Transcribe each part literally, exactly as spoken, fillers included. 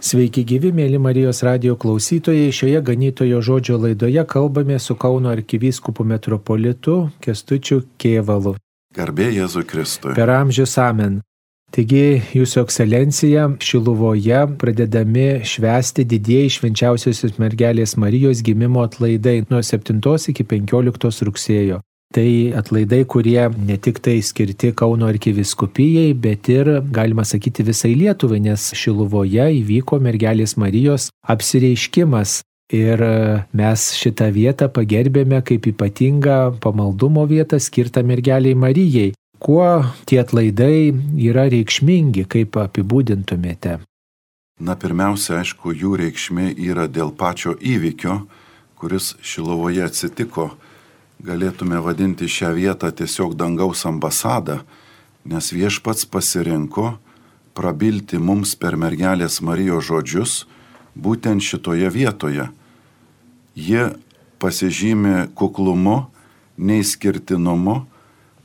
Sveiki gyvi, mėly Marijos radijo klausytojai. Šioje ganytojo žodžio laidoje kalbame su Kauno arkivyskupu metropolitu Kęstučiu Kėvalu. Garbė Jėzui Kristui. Per amžius amen. Taigi, Jūsų ekscelencija, Šiluvoje pradedami švęsti didieji švenčiausiosios mergelės Marijos gimimo atlaidai nuo septintos iki penkioliktos rugsėjo. Tai atlaidai, kurie ne tik tai skirti Kauno arkivyskupijai, bet ir, galima sakyti, visai Lietuvai, nes Šiluvoje įvyko mergelės Marijos apsireiškimas. Ir mes šitą vietą pagerbėme kaip ypatingą pamaldumo vietą skirtą mergeliai Marijai. Kuo tie atlaidai yra reikšmingi, kaip apibūdintumėte? Na, pirmiausia, aišku, jų reikšmė yra dėl pačio įvykio, kuris Šiluvoje atsitiko. Galėtume vadinti šią vietą tiesiog dangaus ambasada, nes viešpats pasirinko prabilti mums per mergelės Marijos žodžius būtent šitoje vietoje. Ji pasižymi kuklumu, neišskirtinumu,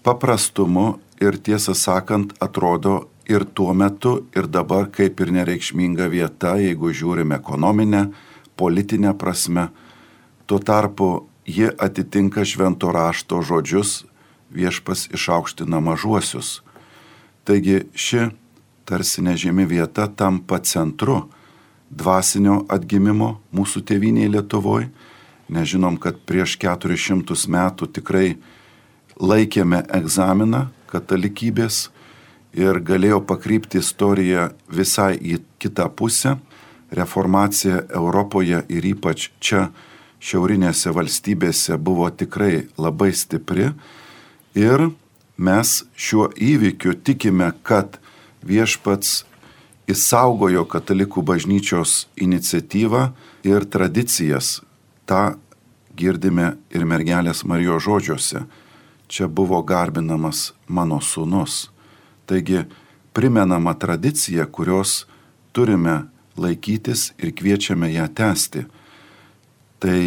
paprastumu ir tiesą sakant atrodo ir tuo metu, ir dabar kaip ir nereikšminga vieta, jeigu žiūrime ekonominę, politinę prasme. Tuo tarpu ji atitinka švento rašto žodžius, viešpas išaukština mažuosius. Taigi ši tarsi nežymi vieta tampa centru dvasinio atgimimo mūsų tėvynėje Lietuvoje. Nežinom, kad prieš keturis šimtus metų tikrai laikėme egzaminą katalikybės ir galėjo pakrypti istorija visai į kitą pusę. Reformacija Europoje ir ypač čia šiaurinėse valstybėse buvo tikrai labai stipri ir mes šiuo įvykiu tikime, kad viešpats išsaugojo katalikų bažnyčios iniciatyvą ir tradicijas. Ta girdime ir mergelės Marijos žodžiuose. Čia buvo garbinamas mano sūnus. Taigi primenama tradicija, kurios turime laikytis ir kviečiame ją tęsti. Tai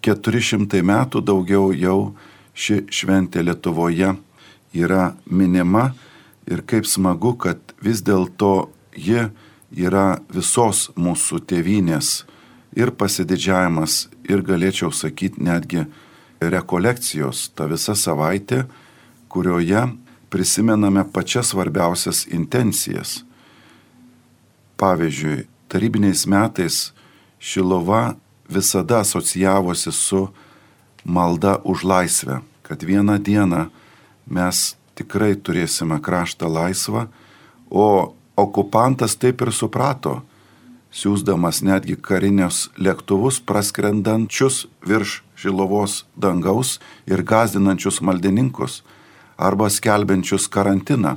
keturi šimtai metų daugiau jau ši šventė Lietuvoje yra minima ir kaip smagu, kad vis dėlto ji yra visos mūsų tėvynės ir pasididžiavimas ir galėčiau sakyti netgi rekolekcijos, ta visa savaitė, kurioje prisimename pačias svarbiausias intencijas. Pavyzdžiui, tarybiniais metais Šiluva visada asocijavosi su malda už laisvę, kad vieną dieną mes tikrai turėsime kraštą laisvą, o okupantas taip ir suprato, siųsdamas netgi karinius lėktuvus praskrendančius virš Šiluvos dangaus ir gąsdinančius maldininkus arba skelbiančius karantiną.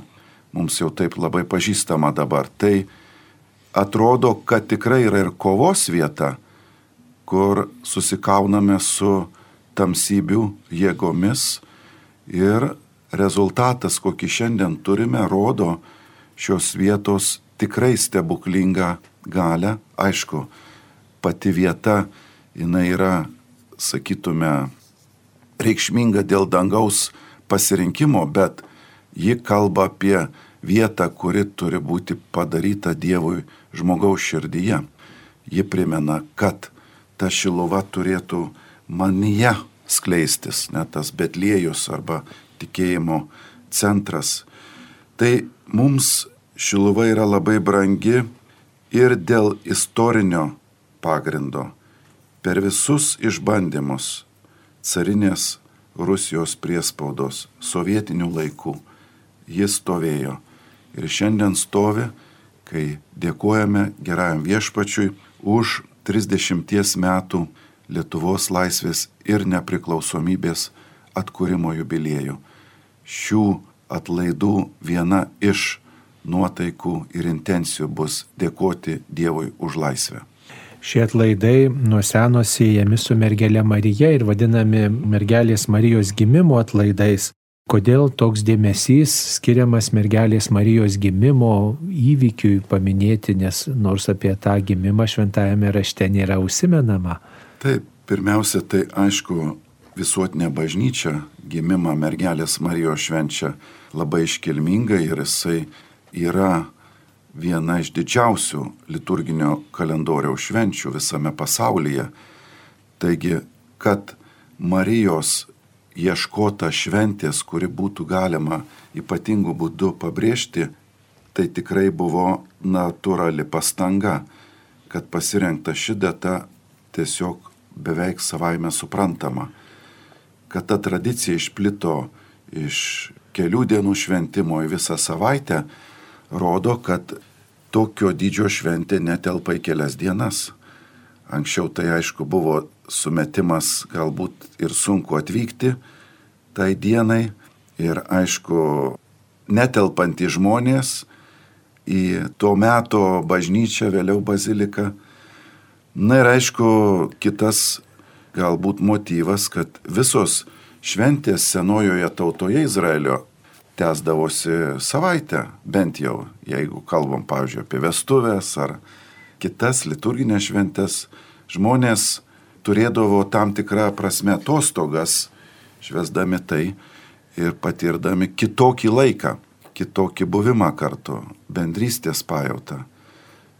Mums jau taip labai pažįstama dabar. Tai atrodo, kad tikrai yra ir kovos vieta, kur susikauname su tamsybių jėgomis ir rezultatas, kokį šiandien turime, rodo šios vietos tikrai stebuklingą galią. Aišku, pati vieta, jinai yra, sakytume, reikšminga dėl dangaus pasirinkimo, bet ji kalba apie vietą, kuri turi būti padaryta Dievui žmogaus širdyje. Ji primena, kad ta Šiluva turėtų manyje skleistis, ne tas Betliejus arba tikėjimo centras. Tai mums Šiluva yra labai brangi ir dėl istorinio pagrindo. Per visus išbandymus carinės Rusijos priespaudos sovietinių laikų jis stovėjo. Ir šiandien stovi, kai dėkojame gerajam viešpačiui už trisdešimties metų Lietuvos laisvės ir nepriklausomybės atkūrimo jubiliejų. Šių atlaidų viena iš nuotaikų ir intencijų bus dėkoti Dievui už laisvę. Šie atlaidai nuo seno siejami su mergelė Marija ir vadinami mergelės Marijos gimimo atlaidais. Kodėl toks dėmesys skiriamas mergelės Marijos gimimo įvykiui paminėti, nes nors apie tą gimimą šventajame rašte nėra užsimenama? Taip, pirmiausia, tai aišku, visuotinė bažnyčia gimimą mergelės Marijos švenčia labai iškilmingai ir jisai yra viena iš didžiausių liturginio kalendoriaus švenčių visame pasaulyje. Taigi, kad Marijos ieškota šventės, kuri būtų galima ypatingų būdų pabrėžti, tai tikrai buvo natūrali pastanga, kad pasirinkta ši data tiesiog beveik savaime suprantama. Kad ta tradicija išplito iš kelių dienų šventimo į visą savaitę, rodo, kad tokio dydžio šventė netelpa į kelias dienas. Anksčiau tai aišku buvo sumetimas, galbūt ir sunku atvykti tai dienai ir aišku netelpantys žmonės į to meto bažnyčią, vėliau baziliką. Na ir aišku kitas galbūt motyvas, kad visos šventės senojoje tautoje Izraelio tęsdavosi savaitę, bent jau, jeigu kalbam, pavyzdžiui, apie vestuvės ar kitas liturginės šventės, žmonės turėdavo tam tikrą prasme atostogas, švęsdami tai ir patirdami kitokį laiką, kitokį buvimą kartu, bendrystės pajautą.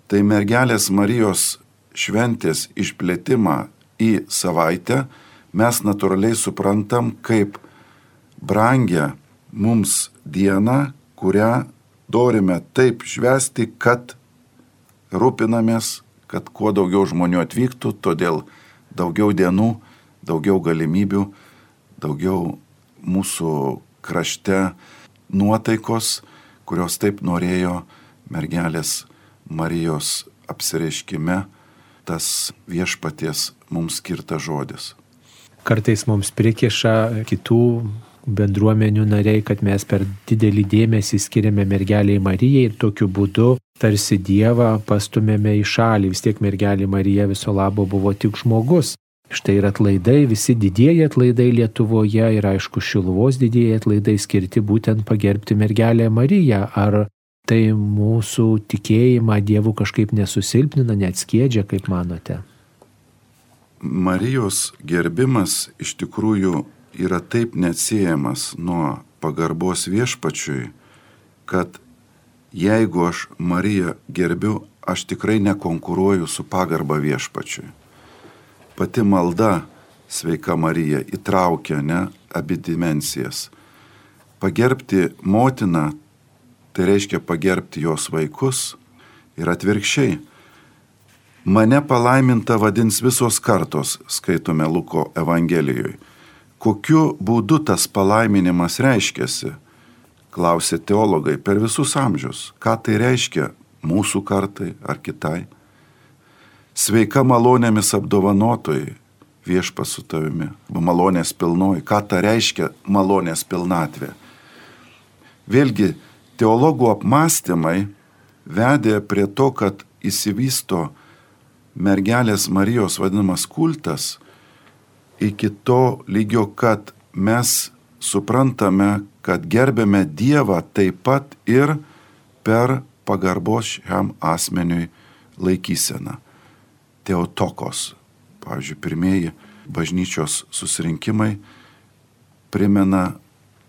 Tai mergelės Marijos šventės išplėtimą į savaitę mes natūraliai suprantam kaip brangią mums dieną, kurią norime taip švęsti, kad rūpinamės, kad kuo daugiau žmonių atvyktų, todėl daugiau dienų, daugiau galimybių, daugiau mūsų krašte nuotaikos, kurios taip norėjo mergelės Marijos apsireiškime tas viešpaties mums skirtas žodis. Kartais mums prikiša kitų bendruomenių nariai, kad mes per didelį dėmesį skiriame mergeliai Marijai ir tokiu būdu tarsi Dievą pastumėme į šalį. Vis tiek mergelė Marija viso labo buvo tik žmogus. Štai ir atlaidai, visi didieji atlaidai Lietuvoje ir aišku Šiluvos didieji atlaidai skirti būtent pagerbti mergelę Mariją. Ar tai mūsų tikėjimą Dievu kažkaip nesusilpnina, neatskiedžia, kaip manote? Marijos gerbimas iš tikrųjų yra taip neatsiejamas nuo pagarbos viešpačiui, kad jeigu aš Mariją gerbiu, aš tikrai nekonkuruoju su pagarba viešpačiui. Pati malda, sveika Marija, įtraukia ne abi dimensijas. Pagerbti motiną, tai reiškia pagerbti jos vaikus ir atvirkščiai. Mane palaiminta vadins visos kartos, skaitome Luko Evangelijoje. Kokiu būdu tas palaiminimas reiškiasi? Klausė teologai per visus amžius. Ką tai reiškia mūsų kartai ar kitai? Sveika malonėmis apdovanotojai, viešpas su tavimi, malonės pilnoji. Ką tai reiškia malonės pilnatvė? Vėlgi, teologų apmąstymai vedė prie to, kad įsivysto mergelės Marijos vadinamas kultas iki to lygio, kad mes suprantame, kad gerbėme Dievą taip pat ir per pagarbos šiam asmeniui laikyseną. Teotokos, pavyzdžiui, pirmieji bažnyčios susirinkimai primena,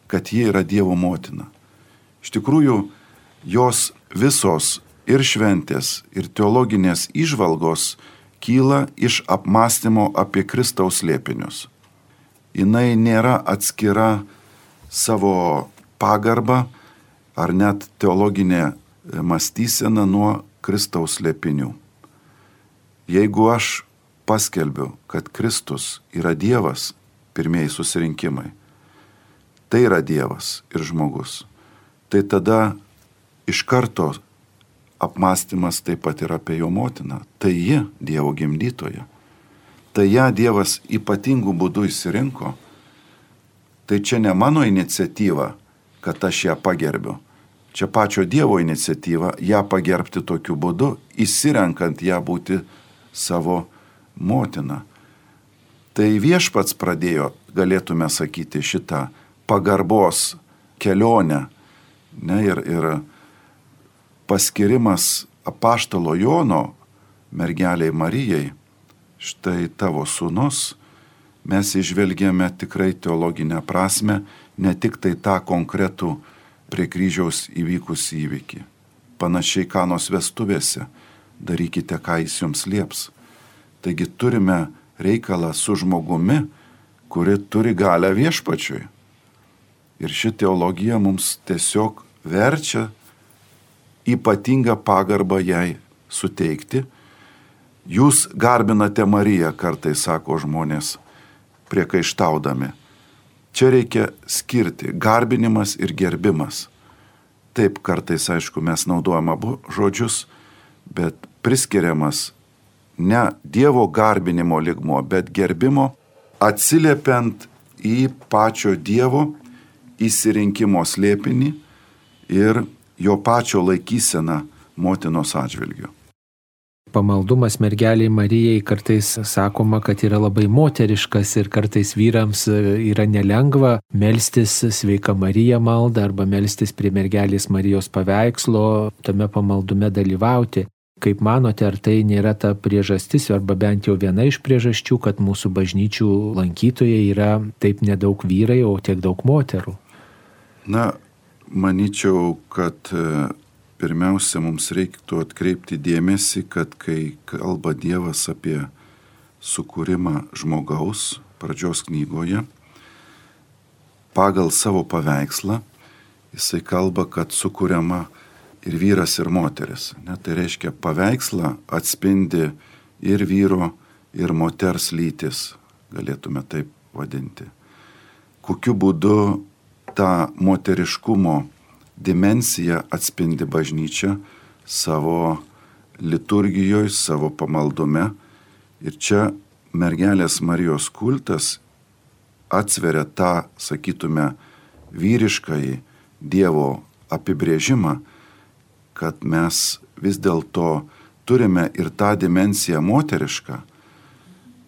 kad ji yra Dievo motina. Iš tikrųjų, jos visos ir šventės, ir teologinės įžvalgos kyla iš apmąstymo apie Kristaus slėpinius. Jinai nėra atskira savo pagarbą ar net teologinė mąstysena nuo Kristaus slėpinių. Jeigu aš paskelbiu, kad Kristus yra Dievas, pirmieji susirinkimai, tai yra Dievas ir žmogus, tai tada iš karto apmąstymas taip pat ir apie jo motiną. Tai ji Dievo gimdytoja. Tai ją Dievas ypatingų būdų išsirinko. Tai čia ne mano iniciatyva, kad aš ją pagerbiu. Čia pačio Dievo iniciatyva ją pagerbti tokiu būdu, išsirenkant ją būti savo motina. Tai viešpats pradėjo, galėtume sakyti, šitą pagarbos kelionę. Ne, ir, ir paskirimas apaštalo Jono mergeliai Marijai, štai tavo sūnus, mes išvelgėme tikrai teologinę prasme, ne tik tai tą konkretų prie kryžiaus įvykusį įvykį. panašiai Kanos vestuvėse. Darykite, ką jis jums lieps. Taigi turime reikalą su žmogumi, kuri turi galią viešpačiui. Ir ši teologija mums tiesiog verčia ypatingą pagarbą jai suteikti. Jūs garbinate Mariją, kartais sako žmonės, priekaištaudami. Čia reikia skirti garbinimas ir gerbimas. Taip, kartais, aišku, mes naudojame abu žodžius, bet priskiriamas ne Dievo garbinimo lygmuo, bet gerbimo, atsiliepiant į pačio Dievo įsirinkimo slėpinį ir jo pačio laikyseną motinos atžvilgiu. Pamaldumas mergeliai Marijai kartais sakoma, kad yra labai moteriškas ir kartais vyrams yra nelengva melstis Sveika Marija maldą arba melstis prie mergelės Marijos paveikslo, tame pamaldume dalyvauti. Kaip manote, ar tai nėra ta priežastis, arba bent jau viena iš priežasčių, kad mūsų bažnyčių lankytojai yra taip nedaug vyrai, o tiek daug moterų? Na, manyčiau, kad pirmiausia, mums reiktų atkreipti dėmesį, kad kai kalba Dievas apie sukūrimą žmogaus pradžios knygoje, pagal savo paveikslą, jisai kalba, kad sukūriama ir vyras, ir moteris. Ne, tai reiškia, paveikslą atspindi ir vyro, ir moters lytis, galėtume taip vadinti. Kokiu būdu tą moteriškumo dimensiją atspindi bažnyčia savo liturgijoje, savo pamaldume. Ir čia mergelės Marijos kultas atsveria tą, sakytume, vyriškąjį Dievo apibrėžimą, kad mes vis dėlto turime ir tą dimensiją moterišką.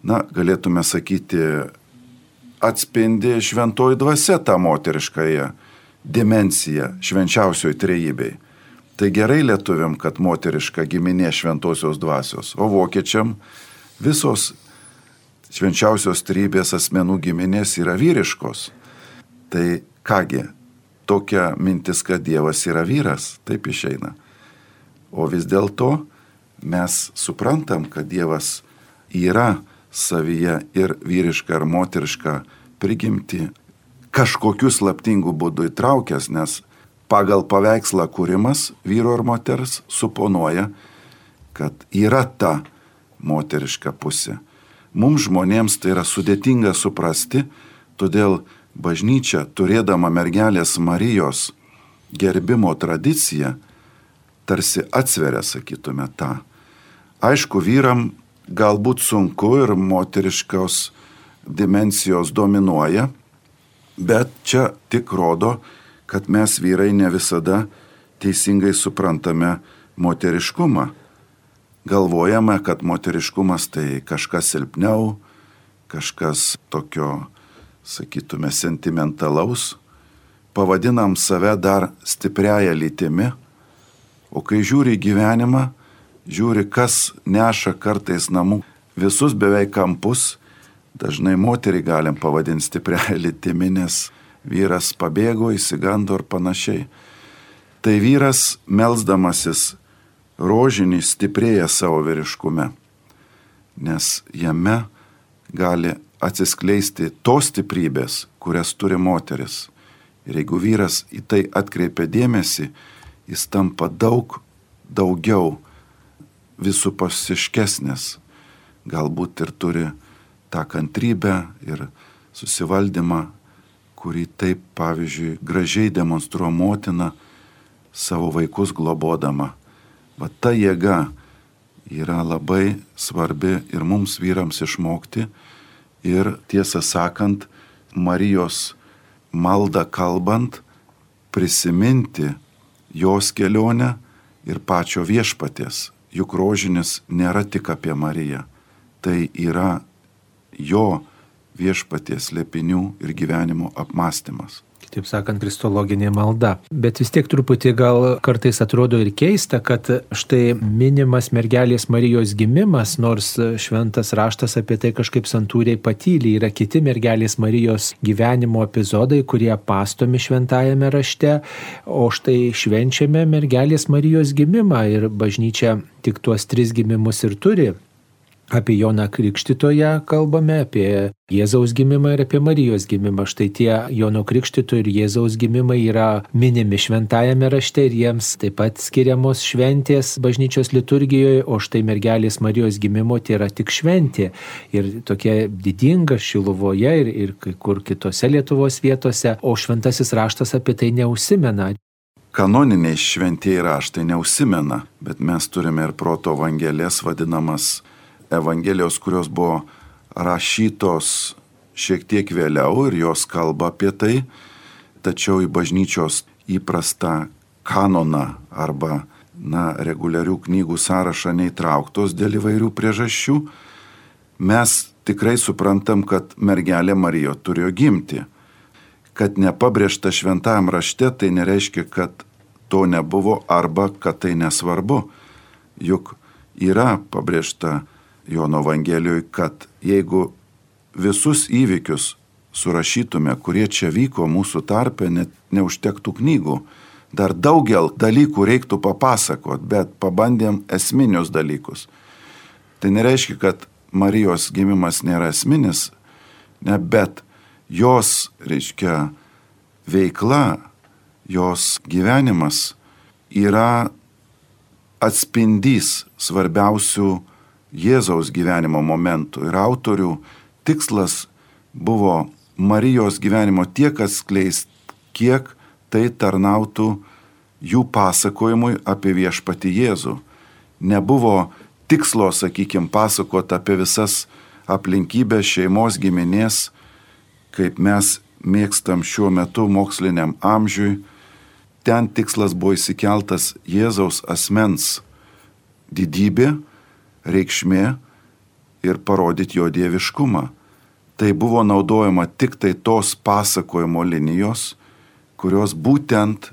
Na, galėtume sakyti, atspindi šventoji dvasia tą moteriškąją dimensiją švenčiausioj trejybei. Tai gerai lietuviam, kad moteriška giminė šventosios dvasios, o vokiečiam visos švenčiausios trejybės asmenų giminės yra vyriškos. Tai kągi, tokia mintis, kad Dievas yra vyras, taip išeina. O vis dėlto mes suprantam, kad Dievas yra savyje ir vyriška ir moteriška prigimti, kažkokiu slaptingu būdu įtraukęs, nes pagal paveikslą kūrimas vyro ir moters suponuoja, kad yra ta moteriška pusė. Mums žmonėms tai yra sudėtinga suprasti, todėl bažnyčia, turėdama mergelės Marijos gerbimo tradiciją, tarsi atsveria, sakytume, tą. Aišku, vyram galbūt sunku ir moteriškos dimensijos dominuoja, bet čia tik rodo, kad mes vyrai ne visada teisingai suprantame moteriškumą. Galvojame, kad moteriškumas tai kažkas silpniau, kažkas tokio, sakytume, sentimentalaus. Pavadinam save dar stipriaja lytimi, o kai žiūri gyvenimą, žiūri, kas neša kartais namų visus beveik kampus, dažnai moterį galim pavadinti stipriaja lytimi, nes vyras pabėgo, įsigando ir panašiai. Tai vyras, melsdamasis rožinį, stiprėja savo vyriškume, nes jame gali atsiskleisti tos stiprybės, kurias turi moteris. Ir jeigu vyras į tai atkreipia dėmesį, jis tampa daug daugiau visupusiškesnis, galbūt ir turi tą kantrybę ir susivaldymą, kurį taip, pavyzdžiui, gražiai demonstruoja motina savo vaikus globodama. Va ta jėga yra labai svarbi ir mums vyrams išmokti ir, tiesą sakant, Marijos maldą kalbant, prisiminti jos kelionę ir pačio viešpaties. Juk rožinis nėra tik apie Mariją, tai yra jo viešpaties slėpinių ir gyvenimo apmąstymas. taip sakant, kristologinė malda. Bet vis tiek truputį gal kartais atrodo ir keista, kad štai minimas mergelės Marijos gimimas, nors šventas raštas apie tai kažkaip santūriai patylė, yra kiti mergelės Marijos gyvenimo epizodai, kurie pastomi šventajame rašte, o štai švenčiame mergelės Marijos gimimą ir bažnyčia tik tuos tris gimimus ir turi. Apie Joną Krikštytoją kalbame, apie Jėzaus gimimą ir apie Marijos gimimą. Štai tie Jono Krikštytojo ir Jėzaus gimimai yra minimi šventajame rašte ir jiems taip pat skiriamos šventės bažnyčios liturgijoje, o štai mergelės Marijos gimimo tai yra tik šventė. Ir tokia didinga Šiluvoje ir, ir kai kur kitose Lietuvos vietose, o šventasis raštas apie tai neužsimena. Kanoniniai šventieji raštai neužsimena, bet mes turime ir proto evangelijas vadinamas Evangelijos, kurios buvo rašytos šiek tiek vėliau ir jos kalba apie tai, tačiau į bažnyčios įprastą kanoną arba na, reguliarių knygų sąrašą neįtrauktos dėl įvairių priežasčių, mes tikrai suprantam, kad mergelė Marija turėjo gimti. Kad nepabrėžta šventajam rašte, tai nereiškia, kad to nebuvo arba kad tai nesvarbu. Juk yra pabrėžta Jono Evangelijoje, kad jeigu visus įvykius surašytume, kurie čia vyko mūsų tarpe, net neužtektų knygų. Dar daugel dalykų reiktų papasakot, bet pabandėm esminius dalykus. Tai nereiškia, kad Marijos gimimas nėra esminis, ne, bet jos, reiškia, veikla, jos gyvenimas yra atspindys svarbiausių Jėzaus gyvenimo momentų. Ir autorių tikslas buvo Marijos gyvenimo tiek atskleist, kiek tai tarnautų jų pasakojimui apie viešpatį Jėzų. Nebuvo tikslo, sakykime, pasakoti apie visas aplinkybės šeimos giminės, kaip mes mėgstam šiuo metu moksliniam amžiui. Ten tikslas buvo įsikeltas Jėzaus asmens didybė, reikšmė ir parodyti jo dieviškumą. Tai buvo naudojama tik tai tos pasakojimo linijos, kurios būtent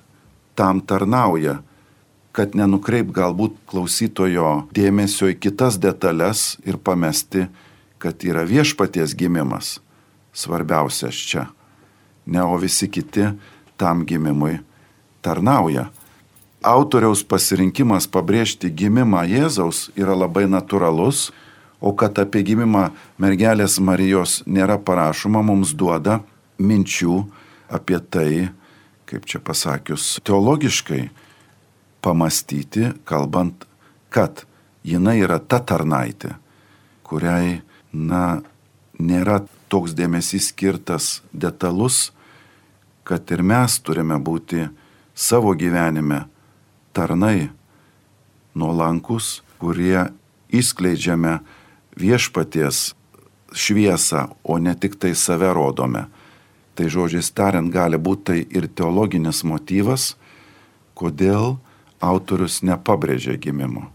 tam tarnauja, kad nenukreip galbūt klausytojo dėmesio į kitas detalės ir pamesti, kad yra viešpaties gimimas svarbiausias čia. Ne, o visi kiti tam gimimui tarnauja. Autoriaus pasirinkimas pabrėžti gimimą Jėzaus yra labai natūralus, o kad apie gimimą mergelės Marijos nėra parašoma, mums duoda minčių apie tai, kaip čia pasakius, teologiškai pamastyti, kalbant, kad jinai yra ta tarnaitė, kuriai, na, nėra toks dėmesys skirtas detalus, kad ir mes turime būti savo gyvenime tarnai nuolankus, kurie įskleidžiame viešpaties šviesą, o ne tik tai save rodome. Tai žodžiais tariant, gali būti tai ir teologinis motyvas, kodėl autorius nepabrėžė gimimo.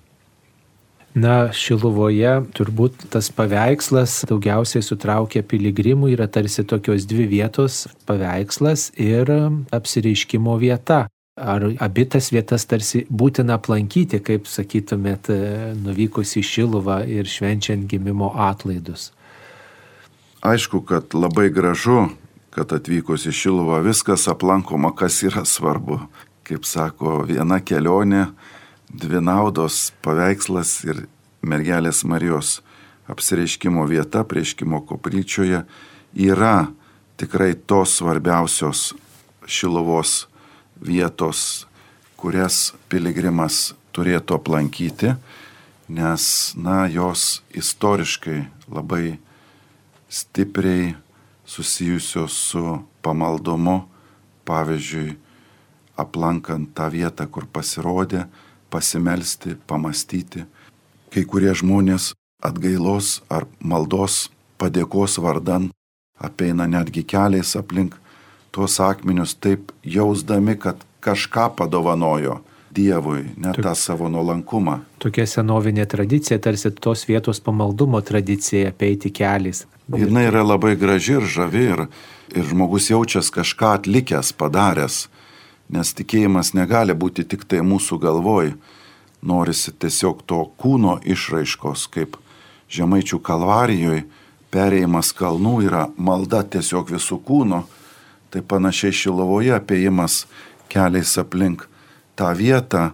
Na, Šiluvoje turbūt tas paveikslas daugiausiai sutraukia piligrimų, yra tarsi tokios dvi vietos - paveikslas ir apsireiškimo vieta. Ar abi tas vietas tarsi būtina aplankyti, kaip sakytumėt, nuvykus į Šiluvą ir švenčiant gimimo atlaidus? Aišku, kad labai gražu, kad atvykus į Šiluvą viskas aplankoma, kas yra svarbu. Kaip sako, viena kelionė, dvi naudos, paveikslas ir mergelės Marijos apsireiškimo vieta prieškimo koplyčioje yra tikrai tos svarbiausios Šiluvos vietos, kurias piligrimas turėtų aplankyti, nes, na, jos istoriškai labai stipriai susijusios su pamaldumu, pavyzdžiui, aplankant tą vietą, kur pasirodė, pasimelsti, pamastyti. Kai kurie žmonės atgailos ar maldos padėkos vardan apeina netgi keliais aplink tuos akmenius, taip jausdami, kad kažką padovanojo Dievui, net tą savo nuolankumą. Tokia senovinė tradicija, tarsi tos vietos pamaldumo tradicija, apeiti keliais. Jis yra labai graži ir žavi ir, ir žmogus jaučias kažką atlikęs, padaręs, nes tikėjimas negali būti tik tai mūsų galvoj. Norisi tiesiog to kūno išraiškos, kaip Žemaičių Kalvarijoje perėjimas kalnų yra malda tiesiog visų kūno, tai panašiai Šiluvoje apėjimas keliais aplink tą vietą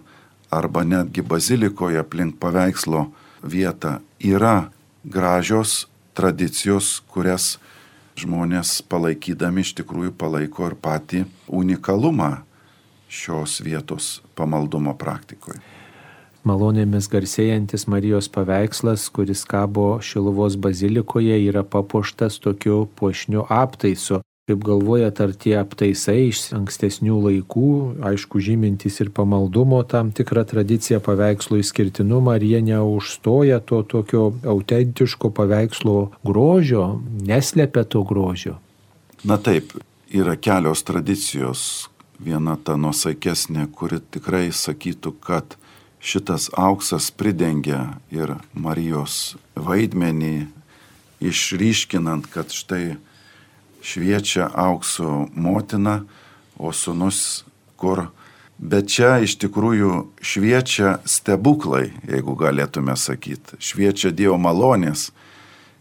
arba netgi bazilikoje aplink paveikslo vietą yra gražios tradicijos, kurias žmonės palaikydami iš tikrųjų palaiko ir patį unikalumą šios vietos pamaldumo praktikoje. Malonėmis garsėjantis Marijos paveikslas, kuris kabo Šiluvos bazilikoje, yra papuoštas tokiu puošniu aptaisu. Kaip galvojat, ar tie aptaisai iš ankstesnių laikų, aišku, žymintys ir pamaldumo tam tikrą tradiciją, paveikslo išskirtinumą, ar jie neužstoja to tokio autentiško paveikslo grožio, neslepia to grožio? Na taip, yra kelios tradicijos. Viena ta nuosaikesnė, kuri tikrai sakytų, kad šitas auksas pridengia ir Marijos vaidmenį, išryškinant, kad štai šviečia aukso motina, o sūnus kur. Bet čia iš tikrųjų šviečia stebuklai, jeigu galėtume sakyti. Šviečia Dievo malonės,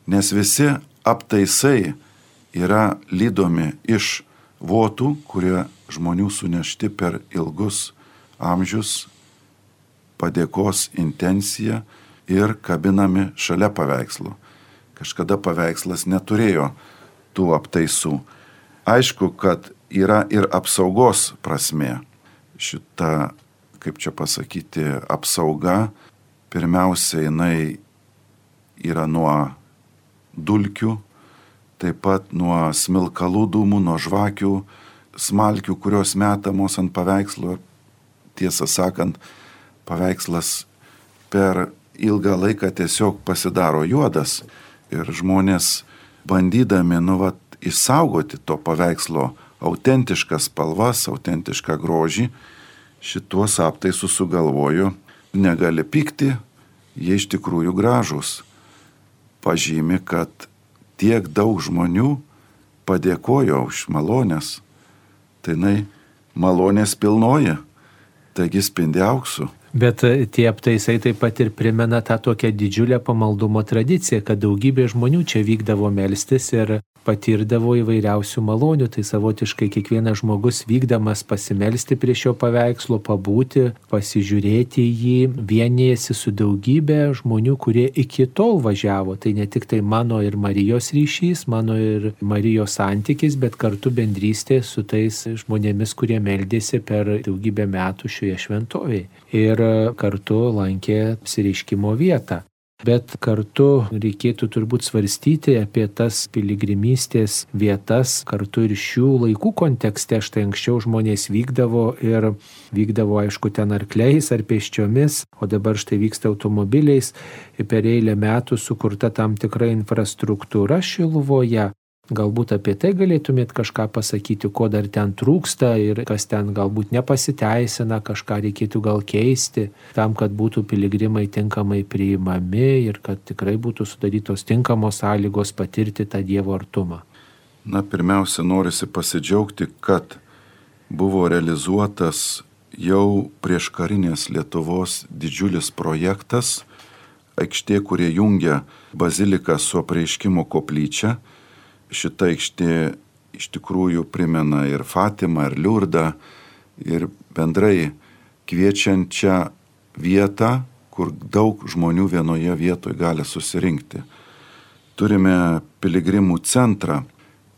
nes visi aptaisai yra lydomi iš votų, kurie žmonių sunešti per ilgus amžius, padėkos intencija ir kabinami šalia paveikslo. Kažkada paveikslas neturėjo tų aptaisų. Aišku, kad yra ir apsaugos prasmė. Šita, kaip čia pasakyti, apsauga, pirmiausia, jinai yra nuo dulkių, taip pat nuo smilkalų dūmų, nuo žvakių, smalkių, kurios metamos ant paveikslo. Tiesą sakant, paveikslas per ilgą laiką tiesiog pasidaro juodas ir žmonės bandydami, nu, vat, išsaugoti to paveikslo autentiškas spalvas, autentišką grožį, šituos aptaisus sugalvojo, negali pykti, jie iš tikrųjų gražus. Pažymi, kad tiek daug žmonių padėkojo už malonės, tai jinai malonės pilnoja, taigi spindi auksu. Bet tie aptaisai taip pat ir primena tą tokią didžiulę pamaldumo tradiciją, kad daugybė žmonių čia vykdavo melstis ir patirdavo įvairiausių malonių. Tai savotiškai kiekvienas žmogus vykdamas pasimelsti prie šio paveikslo, pabūti, pasižiūrėti jį, vienijasi su daugybė žmonių, kurie iki tol važiavo. Tai ne tik tai mano ir Marijos ryšys, mano ir Marijos santykis, bet kartu bendrystė su tais žmonėmis, kurie meldėsi per daugybę metų šioje šventovėje. Ir kartu lankė apsireiškimo vietą. Bet kartu reikėtų turbūt svarstyti apie tas piligrimystės vietas, kartu ir šių laikų kontekste. Štai anksčiau žmonės vykdavo ir vykdavo, aišku, ten arkliais ar pėsčiomis, o dabar štai vyksta automobiliais. Per eilę metų sukurta tam tikra infrastruktūra Šiluvoje. Galbūt apie tai galėtumėt kažką pasakyti, ko dar ten trūksta ir kas ten galbūt nepasiteisina, kažką reikėtų gal keisti, tam, kad būtų piligrimai tinkamai priimami ir kad tikrai būtų sudarytos tinkamos sąlygos patirti tą Dievo artumą. Na, pirmiausia, norisi pasidžiaugti, kad buvo realizuotas jau prieš karinės Lietuvos didžiulis projektas, aikštė, kurie jungia baziliką su apreiškimo koplyčia. Šita aikštė iš tikrųjų primena ir Fatimą, ir Liurdą, ir bendrai kviečiančią vietą, kur daug žmonių vienoje vietoje gali susirinkti. Turime piligrimų centrą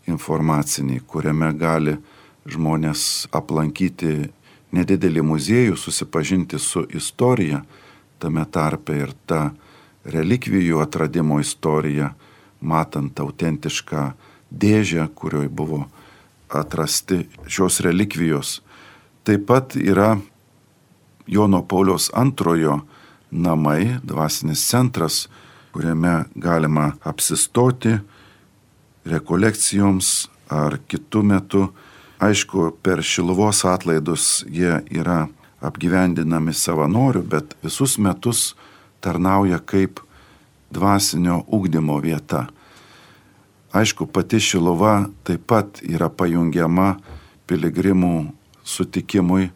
informacinį, kuriame gali žmonės aplankyti nedidelį muziejų, susipažinti su istorija, tame tarpe ir ta relikvijų atradimo istorija, matant autentišką dėžę, kurioje buvo atrasti šios relikvijos. Taip pat yra Jono Pauliaus antrojo namai, dvasinis centras, kuriame galima apsistoti rekolekcijoms ar kitų metų. Aišku, per Šiluvos atlaidus jie yra apgyvendinami savanorių, bet visus metus tarnauja kaip dvasinio ugdymo vieta. Aišku, pati Šiluva taip pat yra pajungiama piligrimų sutikimui.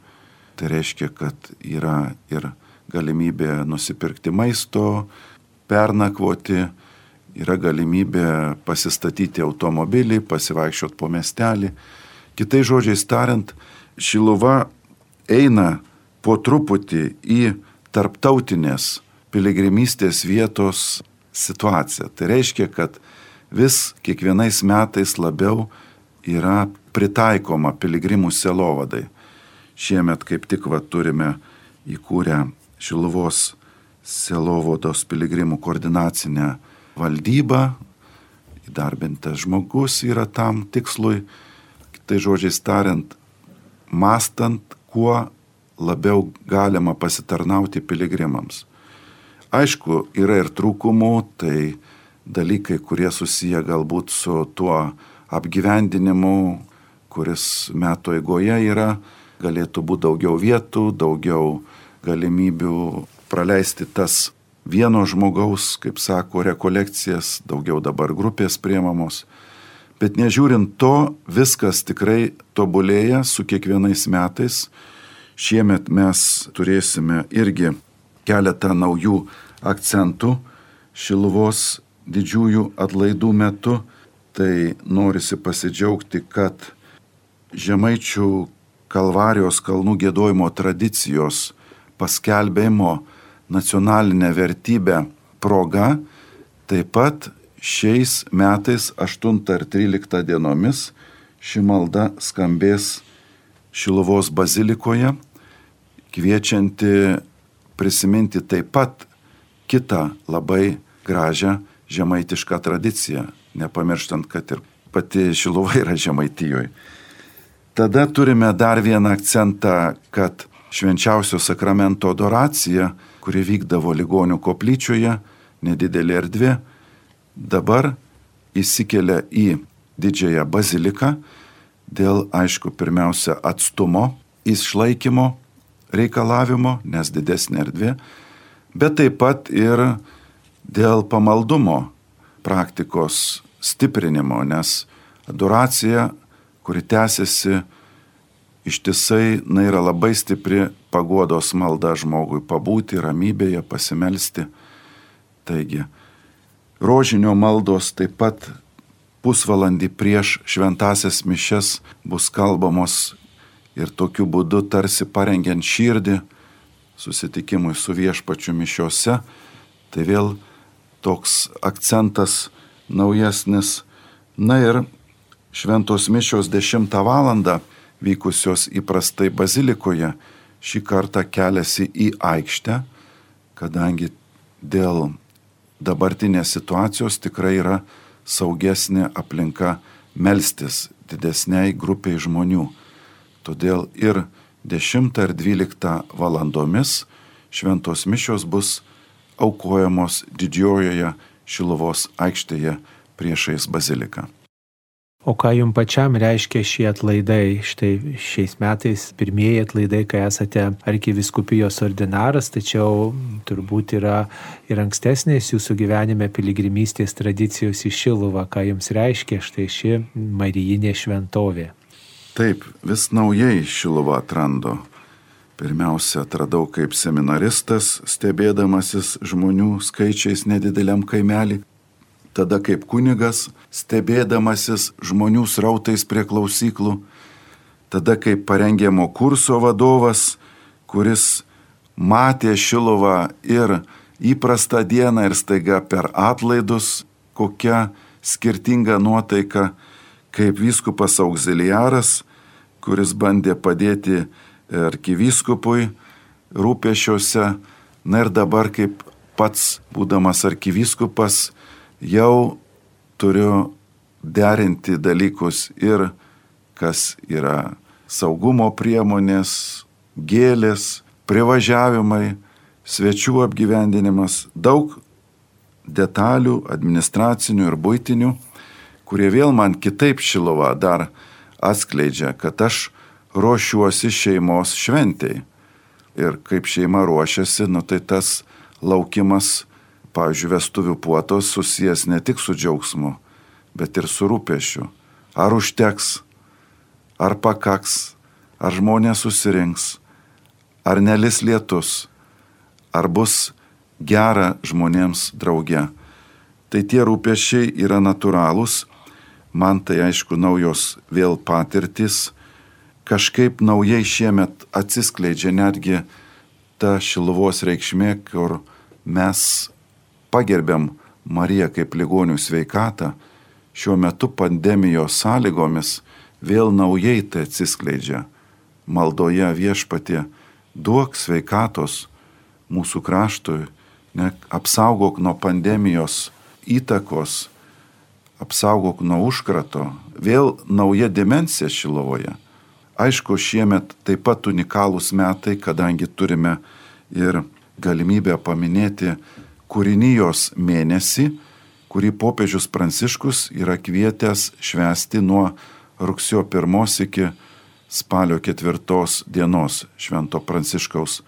Tai reiškia, kad yra ir galimybė nusipirkti maisto, pernakvoti, yra galimybė pasistatyti automobilį, pasivaikščioti po miestelį. Kitais žodžiais tariant, Šiluva eina po truputį į tarptautinės piligrimystės vietos situaciją. Tai reiškia, kad vis kiekvienais metais labiau yra pritaikoma piligrimų sielovadai. Šiemet kaip tik va, turime įkūrę Šiluvos sielovados piligrimų koordinacinę valdybą. Įdarbintas žmogus yra tam tikslui. Tai žodžiais tariant, mąstant, kuo labiau galima pasitarnauti piligrimams. Aišku, yra ir trūkumų, tai dalykai, kurie susiję galbūt su tuo apgyvendinimu, kuris metų eigoje yra, galėtų būti daugiau vietų, daugiau galimybių praleisti tas vieno žmogaus, kaip sako, rekolekcijas, daugiau dabar grupės priemamos. Bet nežiūrint to, viskas tikrai tobulėja su kiekvienais metais. Šiemet mes turėsime irgi keletą naujų akcentų Šiluvos didžiųjų atlaidų metu. Tai norisi pasidžiaugti, kad Žemaičių Kalvarijos kalnų giedojimo tradicijos paskelbėjimo nacionalinę vertybę proga taip pat šiais metais aštuntą ir tryliktą dienomis ši malda skambės Šiluvos bazilikoje, kviečianti prisiminti taip pat kitą labai gražią žemaitišką tradiciją, nepamirštant, kad ir pati Šiluva yra Žemaitijoje. Tada turime dar vieną akcentą, kad švenčiausio sakramento adoracija, kuri vykdavo ligonių koplyčioje, nedidelė erdvė, dabar įsikelia į didžiąją baziliką dėl, aišku, pirmiausia atstumo išlaikymo reikalavimo, nes didesnė erdvė, bet taip pat ir dėl pamaldumo praktikos stiprinimo, nes adoracija, kuri tęsiasi ištisai, na, yra labai stipri paguodos malda žmogui pabūti ramybėje, pasimelsti. Taigi, rožinio maldos taip pat pusvalandį prieš šventąsias mišias bus kalbamos ir tokiu būdu tarsi parengiant širdį susitikimui su viešpačiu mišiose. Tai vėl toks akcentas naujesnis. Na ir šventos mišios dešimtą valandą vykusios įprastai bazilikoje šį kartą keliasi į aikštę, kadangi dėl dabartinės situacijos tikrai yra saugesnė aplinka melstis didesniai grupiai žmonių. Todėl ir dešimtą ir dvyliktą valandomis šventos mišios bus aukojamos didžiojoje Šiluvos aikštėje priešais baziliką. O ką jums pačiam reiškia šie atlaidai? Štai šiais metais pirmieji atlaidai, kai esate arkivyskupijos ordinaras, tačiau turbūt yra ir ankstesnės jūsų gyvenime piligrimystės tradicijos į Šiluvą. Ką jums reiškia štai ši marijinė šventovė? Taip, vis naujai Šiluvą atrandu. Pirmiausia, atradau kaip seminaristas, stebėdamasis žmonių skaičiais nedideliam kaimelį. Tada kaip kunigas, stebėdamasis žmonių srautais prie klausyklų. Tada kaip parengiamo kurso vadovas, kuris matė Šiluvą ir įprastą dieną ir staiga per atlaidus, kokia skirtinga nuotaika, kaip vyskupas auxiliaras, kuris bandė padėti arkivyskupui rūpesčiuose. Na ir dabar kaip pats, būdamas arkivyskupas, jau turiu derinti dalykus ir kas yra saugumo priemonės, gėlės, privažiavimai, svečių apgyvendinimas, daug detalių, administracinių ir buitinių, kurie vėl man kitaip Šiluvą dar atskleidžia, kad aš ruošiuosi šeimos šventei. Ir kaip šeima ruošiasi, nu tai tas laukimas, pavyzdžiui, vestuvių puotos susijęs ne tik su džiaugsmu, bet ir su rūpesčiu. Ar užteks, ar pakaks, ar žmonės susirinks, ar nelis lietus, ar bus gera žmonėms drauge. Tai tie rūpesčiai yra natūralūs, man tai aišku naujos vėl patirtis, kažkaip naujai šiemet atsiskleidžia netgi ta Šiluvos reikšmė, kur mes pagerbiam Mariją kaip ligonių sveikatą, šiuo metu pandemijos sąlygomis vėl naujai tai atsiskleidžia. Maldoje Viešpatie, duok sveikatos mūsų kraštui, ne, apsaugok nuo pandemijos įtakos, apsaugok nuo užkrato, vėl nauja dimensija Šiluvoje. Aišku, šiemet taip pat unikalūs metai, kadangi turime ir galimybę paminėti kūrinijos mėnesį, kurį popiežius Pranciškus yra kvietęs švęsti nuo rugsėjo pirmos iki spalio ketvirtos dienos Švento Pranciškaus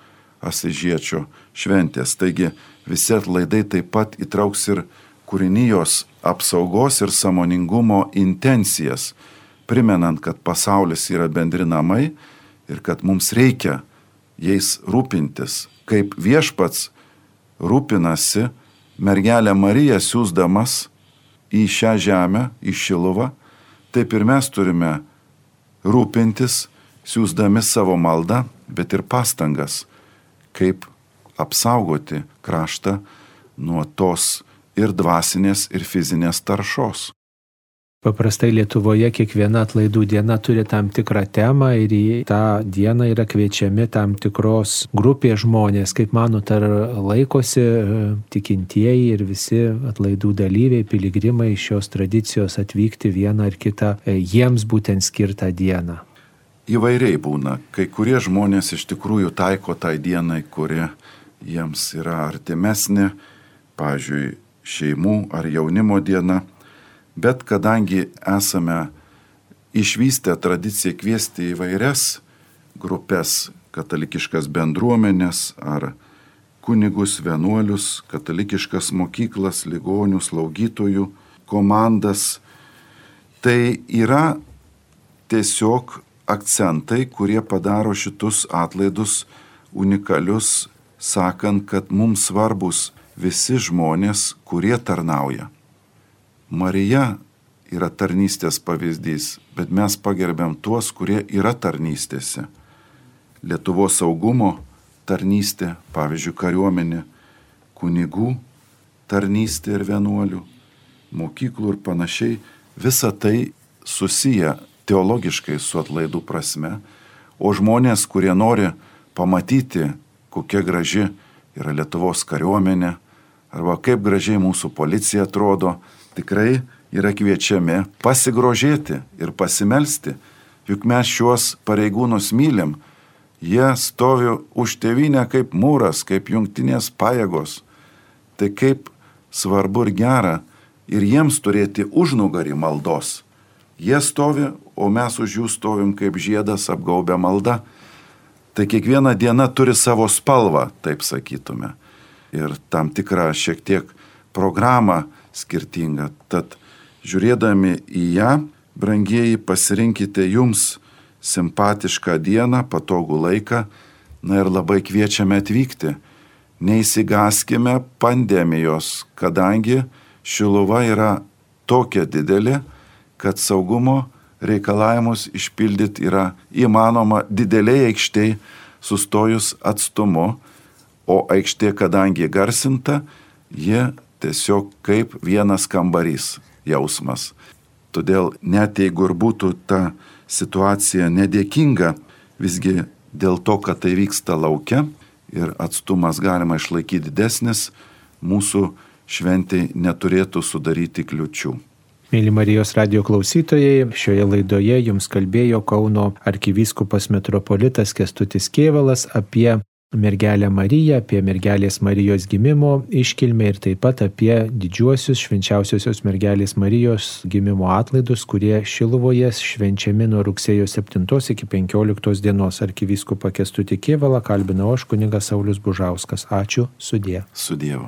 Asyžiečio šventės. Taigi visi atlaidai taip pat įtrauks ir kūrinijos apsaugos ir sąmoningumo intencijas, primenant, kad pasaulis yra bendri namai ir kad mums reikia jais rūpintis, kaip Viešpats rūpinasi mergelę Mariją siųsdamas į šią žemę, į Šiluvą, taip ir mes turime rūpintis, siųsdami savo maldą, bet ir pastangas, kaip apsaugoti kraštą nuo tos ir dvasinės, ir fizinės taršos. Paprastai Lietuvoje kiekviena atlaidų diena turi tam tikrą temą ir į tą dieną yra kviečiami tam tikros grupės žmonės. Kaip manot, ar laikosi tikintieji ir visi atlaidų dalyviai, piligrimai šios tradicijos atvykti vieną ar kitą jiems būtent skirtą dieną? Įvairiai būna. Kai kurie žmonės iš tikrųjų taiko tai dienai, kuri jiems yra artimesnė, pavyzdžiui, šeimų ar jaunimo diena. Bet kadangi esame išvystę tradiciją kviesti įvairias grupės, katalikiškas bendruomenės ar kunigus, vienuolius, katalikiškas mokyklas, ligonių, slaugytojų komandas, tai yra tiesiog akcentai, kurie padaro šitus atlaidus unikalius, sakant, kad mums svarbus visi žmonės, kurie tarnauja. Marija yra tarnystės pavyzdys, bet mes pagerbiam tuos, kurie yra tarnystėse. Lietuvos saugumo tarnystė, pavyzdžiui, kariuomenė, kunigų tarnystė ir vienuolių, mokyklų ir panašiai. Visa tai susiję teologiškai su atlaidų prasme, o žmonės, kurie nori pamatyti, kokia graži yra Lietuvos kariuomenė, arba kaip gražiai mūsų policija atrodo, tikrai yra kviečiami pasigrožėti ir pasimelsti, juk mes šiuos pareigūnus mylim, jie stovi už tėvynę kaip mūras, kaip jungtinės pajėgos. Tai kaip svarbu ir gera ir jiems turėti užnugarį maldos. Jie stovi, o mes už jų stovim kaip žiedas apgaubę maldą. Tai kiekviena diena turi savo spalvą, taip sakytume, ir tam tikrą šiek tiek programą skirtinga. Tad žiūrėdami į ją, brangieji, pasirinkite jums simpatišką dieną, patogų laiką, na ir labai kviečiame atvykti. Neįsigaskime pandemijos, kadangi Šiluva yra tokia didelė, kad saugumo reikalavimus išpildyti yra įmanoma dideliai aikštėj sustojus atstumu, o aikštė, kadangi garsinta, jie tiesiog kaip vienas kambarys jausmas. Todėl net jeigu ir būtų ta situacija nedėkinga, visgi dėl to, kad tai vyksta lauke ir atstumas galima išlaikyti didesnis, mūsų šventei neturėtų sudaryti kliučių. Mėly Marijos radijo klausytojai, šioje laidoje jums kalbėjo Kauno arkivyskupas metropolitas Kęstutis Kėvalas apie mergelę Mariją, apie mergelės Marijos gimimo iškilmę ir taip pat apie didžiuosius švenčiausiosios mergelės Marijos gimimo atlaidus, kurie Šiluvoje švenčiami nuo rugsėjo septintos iki penkioliktos dienos. Arkivyskupą Kęstutį Kėvalą kalbinau aš, kunigas Saulius Bužauskas. Ačiū, sudie. Su Dievu.